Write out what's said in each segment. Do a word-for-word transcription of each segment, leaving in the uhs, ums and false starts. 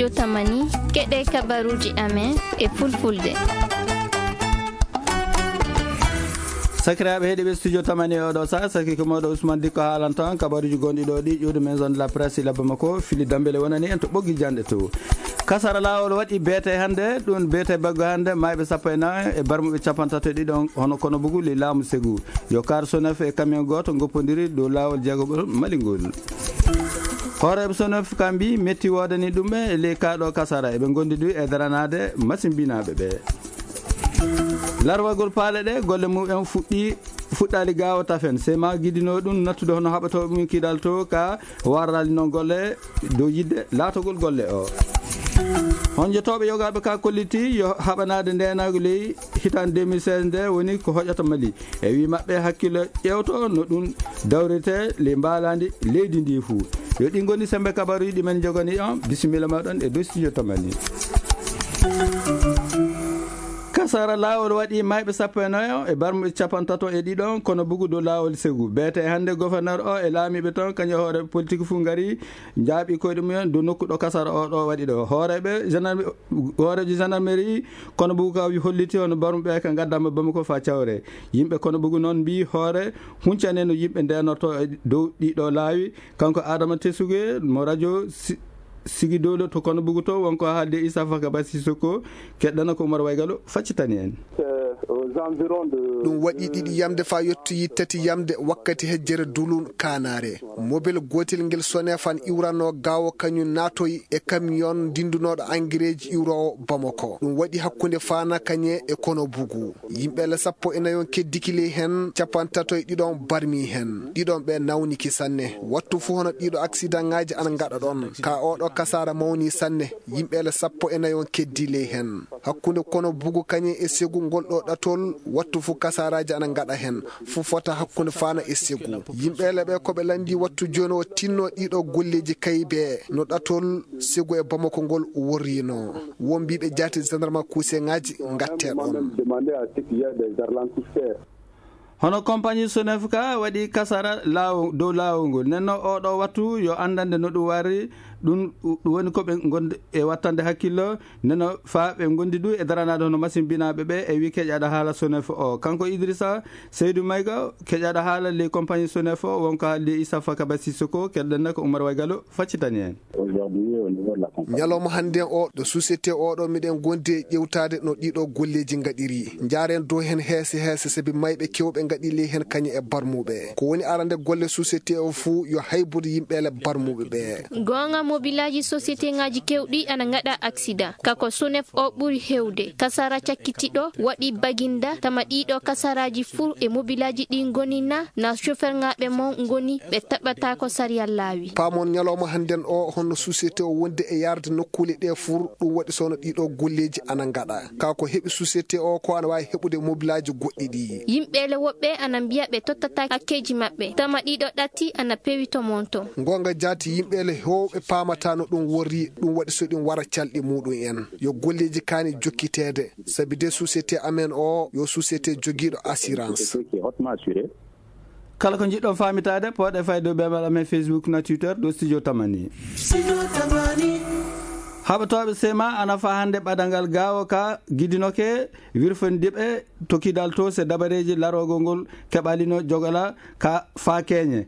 Yo tamani, keɗee kabaruuji amen e fulfulde. Sakiraaɓe heɗiiɓe studio tamani e oɗo saa, saki ko mooɗo Ousmane Dikko haalanta on kabaruuji gonɗi ɗo ɗi ƴuwde maison de la presse ila Bamako, Fili Dambele wonani en to ɓoggi janɗe to. Kasara laawol waɗi beete hannde, ɗum beete baggo hannde, maayɓe sappo e nayo e barmuɓe capantato e ɗiɗo, hono kono bugu ley laamu Segu. Yo kaar Sonef e camion gooto ngoppondiri dow laawol jeegomɓol Mali ngol. Hooreeɓe Sonef ka mbii metti woodani ɗum ɓe e ley kaa ɗoo kasara, eɓe ngondi ɗum e daranaade masimbinaaɓe ɓe. Larwagol paale ɗe, golle mum en fuɗɗi, fuɗɗaali gaawo tafen. Sema gidinoo ɗum nattude hono haɓatooɓe mum kidal to ka warraali noon golle dow yiɗde laatogol golle o. Honjotooɓe yogaaɓe ka kolliti yo haɓanaade ndeenaagu ley hitaande deux mille seize nde woni ko hoƴata Mali. E wii maɓɓe hakkille ƴeewto no ɗum dawrete ley mbaalaandi leydi ndi fuu. Yo ɗi ngoni semmbe kabaruuji ɗi men njogani on. Bisimilla mooɗon e dow studio tamani. Kasara laawol waɗi maayɓe sappo e nayo e barmuɓe capantato e ɗiɗo kono bugu dow laawol Segu. Beete e hannde gouverneur o e laamiiɓe ton kañum e hoore politique fuu ngari njaaɓi koyɗe mumen dow nokku ɗo kasara o ɗo waɗi ɗo. Hooreeɓe gendarme-, hooreejo gendarmerie kono bugu ka holliti hono barmuɓe ka ngaddama Bamako faa cawre. Yimɓe kono bugu noon mbii hoore huncane no yimɓe ndeenorto e dow ɗiɗo laawi. Kanko Adama Tesuge mo radio Si-, Sigi Dowlo to kono bugu to wonko haalde Issa Fakaba Sissoko, keɗɗana ko Umar Waygalo faccitani en. Ɗum waɗi ɗiɗi yamde faa yottoyi tati yamde wakkati hejjere Dulun Kaanaare. Mobel gootel ngel Sonef an iwranoo gaawo kañum naatoyi e kamiyon ndinndunooɗo angireeji iwroowo Bamako. Ɗum waɗi hakkunde Faana Kañe e kono bugu. Yimɓe le sappo e nayon keddiki ley hen, capantato e ɗiɗon barmi hen. Ɗiɗon ɓe nawniki sanne. Wattu fuu hono ɗiɗo aksidaŋaaji ana ngaɗa ɗon. Ka oɗo kasaara mawni sanne. Yimɓe le sappo e nayon keddi ley hen. Hakkunde kono bugu kañe e Segu ngol ɗo ɗatol, wattu fuu kasaaraaji ana ngaɗa hen. Fuu fota hakkunde Faana e Segu. Yimɓe le ɓe ko ɓe lanndi wattu jooni o tinno ɗiɗo golleeji kaybe no ɗatol Segu e Bamako ngol worrinoo. Won mbiiɓe jaati gendarme kuuseŋaaji ngattee ɗon. Hono compagnie Sonef ka waɗi kasara laawo-, dow laawol ngol. Nden non oo ɗoo wattu yo anndande no ɗum wari, ɗum, ɗum woni ko ɓe ngondi e wattande hakkillo, nden non faa ɓe ngondi ɗum e daranaade hono masimbinaaɓe ɓe e wii keƴaaɗo haala Sonef o. Kanko Idrissa Seydou Maïga, keƴaaɗo haala ley compagnie Sonef o, wonko haaldi e Issa Fakaba Sissoko, keɗɗen ko Umar Waygalo faccitani en. Ñalawma hannden o, ɗo société o ɗo, miɗen gondi e ƴewtaade no ɗiɗo golleeji ngaɗiri. Njaaren dow hen heese heese, sabi mayɓe kewɓe ngaɗi ley hen kañe e barmuɓe. Ko woni arande golle société o fuu yo haybude yimɓe le barmuɓe ɓe. Goonga, mobilaaji société ŋaaji kewɗi ana ngaɗa aksida. Ka ko Sonef o ɓuri hewde. Kasara cakkitiɗo waɗi baginda, tama ɗiɗo kasaraaji fuu e mobilaaji ɗi ngoni na, na chauffeur ŋaaɓe mon ngoni ɓe taɓɓataako sariya laawi. Paamon ñalawma hannden o, honno société o wondi e yarde nokkuule ɗe fur, ɗum waɗi so no ɗiɗo golleeji ana ngaɗa. Kaa ko heɓi société o ko ana waawi heɓude mobilaaji goɗɗi ɗi. Yimɓe le woɓɓe ana mbiya ɓe tottataa hakkeeji maɓɓe, tama ɗiɗo ɗatti ana pewi to mon to. Ngoonga jaati, yimɓe le heewɓe paamataa no ɗum worri, ɗum waɗi so ɗum wara calɗi muuɗum en. Yo golleeji kaani jokkiteede, sabi de société amen o yo société jogiiɗo assurance. Kala ko njiɗɗon faamitaade, pooɗee fayde dow beemel amen Facebook na Twitter, dow Studio Tamani. Studio Tamani. Haɓatooɓe sema ana faa hannde ɓadanngal gaawo ka gidinoke wirfondiɓe to kidal to se dabareeji larogol ngol keɓalino jogala ka faa keñe.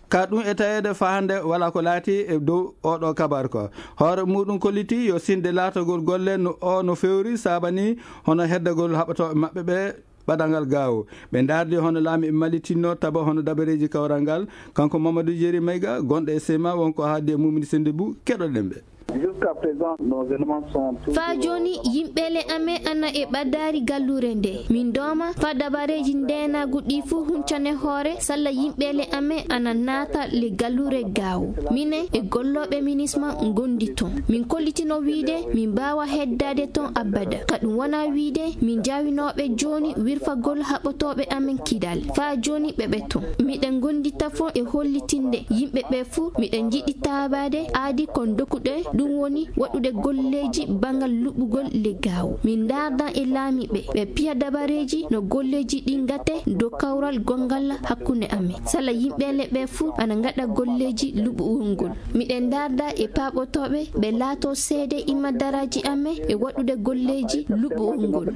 Ka ɗum e taweede faa hannde walaa ko laati e dow oo ɗoo kabaar ko. Hoore muuɗum kolliti yo sinde laatagol golle no oo no fewri saabani hono heddagol haɓatooɓe maɓɓe ɓe ɓadanngal gaawo. Ɓe ndaardi hono laamiiɓe Mali tinno taba hono dabareeji kawral ngal. Kanko Mamadou Jeri Mayga, gonɗo e sema, wonko haaldi e Mumini Sendibou, keɗoɗen ɓe. Jusqu'à présent, nos éléments sont toujours... Faa jooni, yimɓe le amen ana e ɓaddaari galluure nde. Min dooma faa dabareeji ndeenaagu ɗi fuu huncane hoore, salla yimɓe le amen ana naata le galluure gaawo. Minen e gollooɓe minisma ngondi ton. Min kollitino wiide min mbaawa heddaade ton abada. Ka ɗum wonaa wiide min njaawinooɓe jooni wirfagol haɓotooɓe amen kidal. Faa jooni ɓe ɓe ton. Miɗen ngondi tafon e hollitinde yimɓe ɓe fuu miɗen njiɗi taabaade aadi kon dokkuɗe Ɗum woni waɗude golleeji banngal luɓugol ley Gaawo. Min ndaardan e laamiiɓe, ɓe piya dabareeji no golleeji ɗii ngatee dow kawral gonngal hakkunde amen. Sala yimɓe leɓɓe fuu ana ngaɗa golleeji luɓugol ngol. Miɗen ndaarda e paaɓotooɓe ɓe laatoo seede imma daraaji amen e waɗude golleeji luɓugol ngol.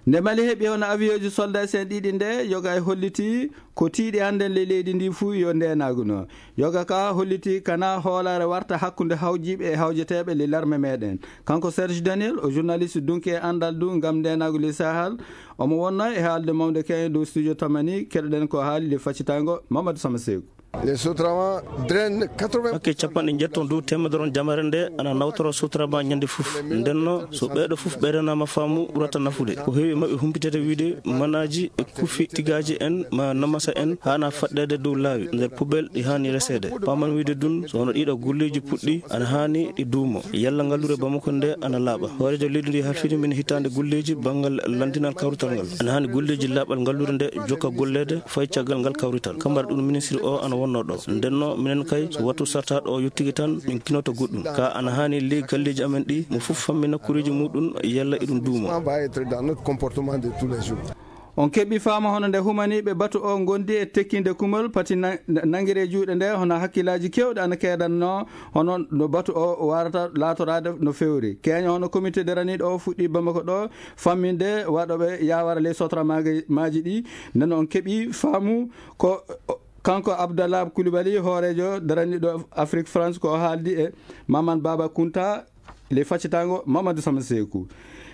Nde Mali heɓi hono awiyoji soldaasi en ɗiɗi nde, yoga e holliti ko tiiɗi hannden ley leydi ndii fuu yo ndeenaagu no. Yoga ka holliti kana hoolaare warta hakkunde hawjiiɓe e hawjeteeɓe ley larme meeɗen. Kanko Serge Daniel, o journaliste dunki e anndal du ngam ndeenaagu ley Sahel. Omo wonnoo e haalde mawnde keeŋe dow studio Tamani, keɗoɗen ko haali ley faccitaango Mamadou Sama Seeku. Les Sotraman drainent quatre-vingts pour cent. Hakke cappanɗe njettoo dow teemedere on jamare nde ana nawtora Sotraman ñande fof. Ndenno, so ɓeeɗo fof ɓe renaama faamu, ɓurata nafude. Ko heewi e maɓɓe humpitata wiide manaaji e kufi tigaaje en ma namasa en haana faɗɗeede dow laawi nder poubelle ɗi haani reseede. Paaman wiide dun, so hono ɗiɗo golleeji puɗɗi, ana haani ɗi duumo. Yalla ngallure Bamako nde ana laaɓa. Hooreejo leydi ndi halfini min hitaande golleeji banngal lanndinal kawrital ngal. Ana haani golleeji laaɓal ngallure nde jokka golleede fay caggal ngal kawrital. Kambar ɗum ministre o ana wonnoo ɗo. Ndenno minen kay so wattu sartaaɗo o yottike tan min kinoto goɗɗum. Ka ana haani ley galleeji amen ɗi mo fof fammina kureeji muɗum yalla eɗum duumo. Va être dans notre comportement de tous les jours. On keɓi faama hono nde humaniiɓe batu o ngondi e tekkinde kumol pati na-, nangiree juuɗe nde hono hakkillaaji keewɗi ana keedanno hono no batu o waarata laatoraade no feewri. Keeña hono comité daraniiɗo o fuɗɗi Bamako ɗo famminde waɗooɓe yaawara ley sotra maaji ɗi. Nden on keɓi faamu ko kanko Abdallah Coulibaly, hooreejo daraniiɗo Afrique France, ko o haaldi e Maman Baba Kunta ley faccitaango Mamadou Sama Seeku.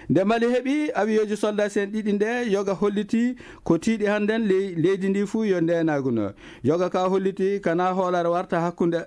Nde Mali heɓi awiyoji soldaasi en ɗiɗi nde, yoga holliti ko tiiɗi hannden ley-, leydi ndi fuu yo ndeenaagu no. Yoga ka holliti kana hoolaare warta hakkunde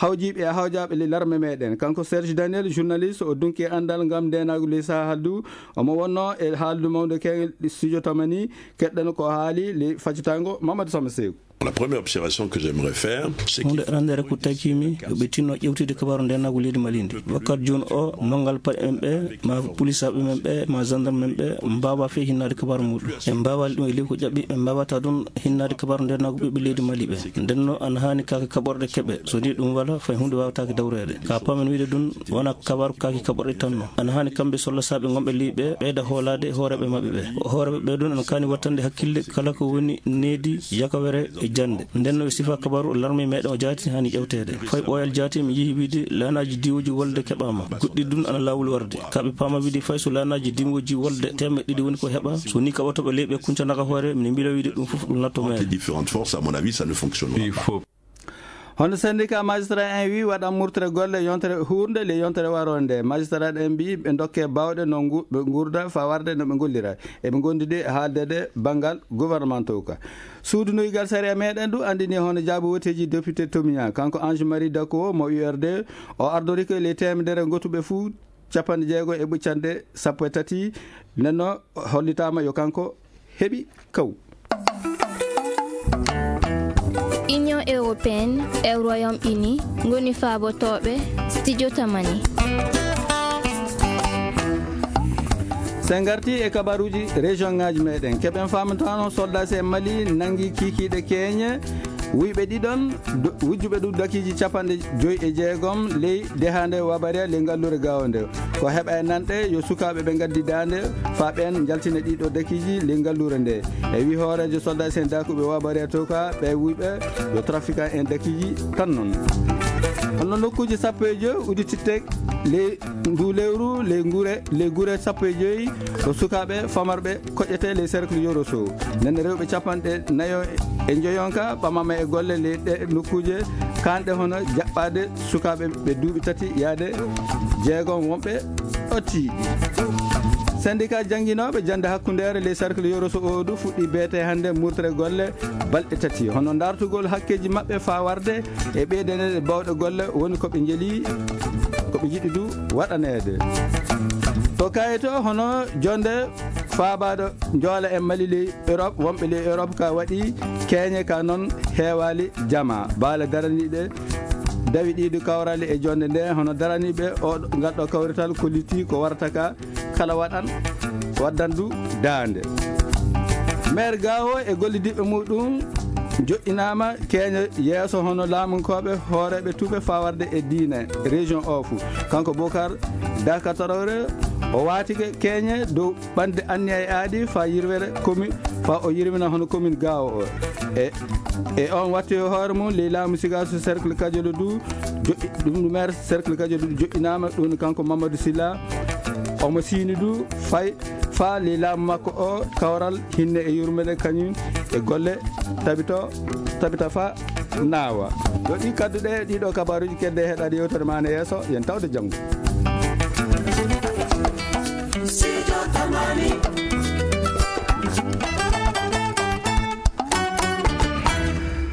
hawjiiɓe e hawjaaɓe ley larme meeɗen. Kanko Serge Daniel, journaliste, o dunki e anndal ngam ndeenaagu ley Sahel du. Omo wonnoo e haaldu mawnde keeŋe studio Tamani, keɗɗen ko haali ley faccitaango Mamadou Sama Seeku. La première observation que j'aimerais faire, c'est que huunde arandeere ko takiimi yo ɓe tinno ƴeewtide kabaaru ndeenaagu leydi Mali ndi. Wakkati jooni o, manngal paɗe men ɓe, ma polisaaɓe men ɓe, ma gendarme men ɓe, mbaawaa fey hinnaade kabaaru muuɗum. Ɓe mbaawaali ɗum e ley ko ƴaɓɓi, ɓe mbaawataa ɗum hinnaade kabaaru ndeenaagu ɓiɓɓe leydi Mali ɓe. Ndenno ana haani kaake kaɓorɗe keɓe. So nii ɗum walaa, fay huunde waawataake dawreede. Ka paamen wiide ɗum, wonaa kabaaru kaake kaɓorɗe tan non. Ana haani kamɓe sollasaaɓe ngonɓe ley ɓe ɓeyda hoolaade hooreeɓe maɓɓe ɓe. Hooreeɓe ɓe ɗum ana kaani wattande hakkille kala ko woni needi, yakawere e jannde. Nden no e sifa kabaaru larme meeɗen o jaati haani ƴewteede. Fay ɓooyal jaati mi yihi wiide laanaaji diwooji wolde keɓaama. Goɗɗi ɗum ana laawol warde. Ka ɓe paama wiide fay so laanaaji diwooji wolde teemeɗɗe ɗiɗi woni ko heɓa. So nii kaɓotooɓe ley ɓe kuncanaka hoore, mi mbila wiide ɗum fof ɗum natto meere. Différentes forces, à mon avis, ça ne fonctionnera pas. Hono syndicat magistrat en wii waɗan murtere golle yontere huurnde ley yontere waroonde nde. Magistrat en mbii ɓe ndokkee baawɗe no ngu-, ɓe nguurda faa warde no ɓe ngollira. Eɓe ngondi de haaldeede banngal gouvernement o ka. Suudu nuygal sariya meeɗen du anndini hono jaabo woteeji député Tomiya. Kanko Ange Marie Dakuo mo U R D, o ardori ko ley teemedere ngotuɓe fuu cappanɗe jeego e ɓuccannde sappo e tati. Nden no hollitaama yo kanko heɓi kaw. Union européenne e Royaume Uni ngoni faabotooɓe studio Tamani. So en ngartii e kabaaruuji région ŋaaji meeɗen, keɓen faamtano soldaasi en Mali nanngi kiikiiɗe keeñe, wuyɓe ɗiɗon, du-, wujjuɓe ɗum dakiiji cappanɗe joy e jeegom ley dehaande Wabariya ley ngalluure Gaawo nde. Ko heɓa e nanɗe yo sukaaɓe ɓe ngaddi daande faa ɓeen njaltina ɗiɗo dakiiji ley ngalluure nde. E wii hooreejo soldaasi en daakuɓe Wabariya to ka ɓe wuyɓe yo trafiquant en dakiiji tan non. Hono nokkuuji sappo e joy uddititte ley nduu lewru, ley ngure, ley gure sappo e joy, ko sukaaɓe famarɓe koƴetee ley cercle Yoro Sow. Nden rewɓe cappanɗe nayo e njoyon ka ɓamama e golle ley ɗee nokkuuje, kaanɗe hono jaɓɓaade sukaaɓe ɓe duuɓi tati yaade jeegom wonɓe ɗo tiiɗi. Syndicat jannginooɓe jannde hakkundeere ley cercle Yoro Sow o du fuɗɗii beetee hannde murtere golle balɗe tati. Hono ndaartugol hakkeeji maɓɓe faa warde e ɓeydaneede baawɗe golle woni ko ɓe njeli, ko ɓe njiɗi du waɗaneede. To kayito hono jonde faabaaɗo njoola e Mali ley Europe, wonɓe ley Europe ka waɗi keeñe ka non heewaali jama. Baale daraniiɓe dawi ɗiiɗi kawrali e jonde nde, hono daraniiɓe o ngal ɗo kawrital kollitii ko warata ka kala waɗan, waddan du daande. Maire Gaawo e gollidiiɓe muɗum joɗɗinaama keeñe yeeso hono laamunkooɓe hooreeɓe tuuɓe faa warde e diine région oo fuu. Kanko Bokar Dakataroore o waatike keeñe dow ɓande anniya e aadi faa yirwere commune faa o yirwina hono commune Gaawo o. E e on watti e hoore mum ley laamu Sigaasu cercle Kajoɗo du joɗɗi ɗum ɗum maire cercle Kajoɗo du joɗɗinaama ɗum kanko Mamadou Silla. Omo siini du fay faa ley laamu makko o kawral hinne e yurmede kañum e golle tabito tabita faa naawa. Yo ɗi kadduɗe ɗiɗo kabaruuji kedde heɗaade yewtere maa ne yeeso yen tawde janngo.